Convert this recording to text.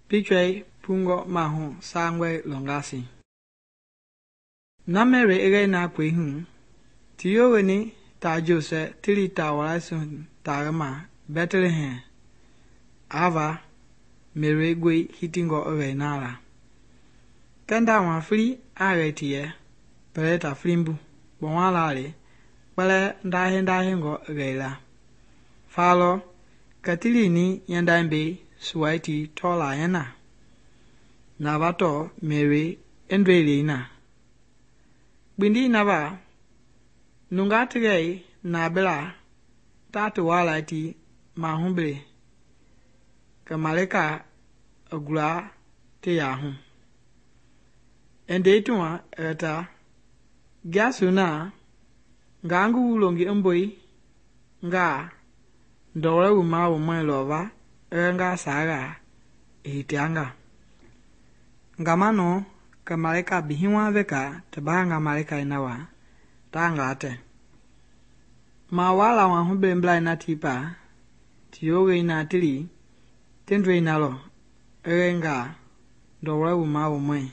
Pichɔi pungɔ mahu sangɔe lɔngasi. Na Mary i gɛi na kpei hu, ti yoweni taa Josɛ ti li taa walaisi taai ma Bɛtlehem, ava Mary goi hitingɔ i gɛi na la. Kɛɛ ndama fili a gɛi ti yɛ pɛlɛ ta filimbu kpɔma la le kpɛlɛɛ ndahɛngɔ i gɛi la. Fa lɔ kɛ ti lini nyandɛmbei suwai ti tɔɔla yɛna. Na va tɔɔ Mary i ndɔi lei na. Kpindi na va nungaa ti gɛi naabila ta ti walai ti mahubele kɛ malika i gula ti yaahu. I ndei ti ma i yɛ ta, gia sona nga ngi wu longi i mboi nga ndɔlɔi wumawumɔi lɔva ɛgɛ nga saaga i hitianga. Ngama nɔ kɛ malika bihiwa veka ti baanga malikai na wa ta ngaa tɛ. Mawala mahubelebla na tipa ti yowei na ti li ti ndɔi na lɔ ɛgɛ nga ndɔlɔi wumawumɔi